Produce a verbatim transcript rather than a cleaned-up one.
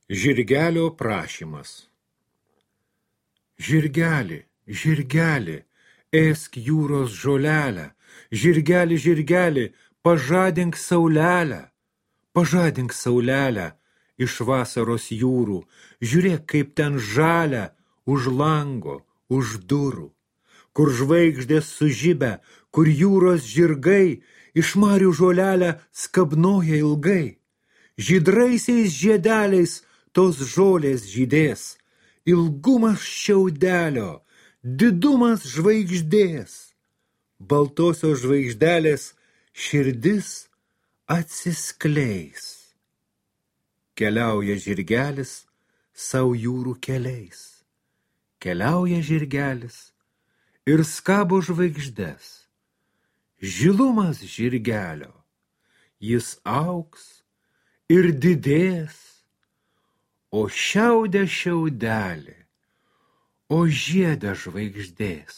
Žirgelio prašymas. Žirgeli, žirgeli, ėsk jūros žolelę, žirgeli, žirgeli, pažadink saulelę, pažadink saulelę iš vasaros jūrų, žiūrėk, kaip ten žalia už lango, už durų, kur žvaigždės sužibę, kur jūros žirgai iš marių žolelę skabnoja ilgai, žydraisiais žiedeliais tos žolės žydės, ilgumas šiaudelio, didumas žvaigždės, baltosios žvaigždelės širdis atsiskleis. Keliauja žirgelis sau jūrų keliais, keliauja žirgelis ir skabo žvaigždes. Žilumas žirgelio, jis augs ir didės, o šiaudė šiaudelį, o žiedą žvaigždės.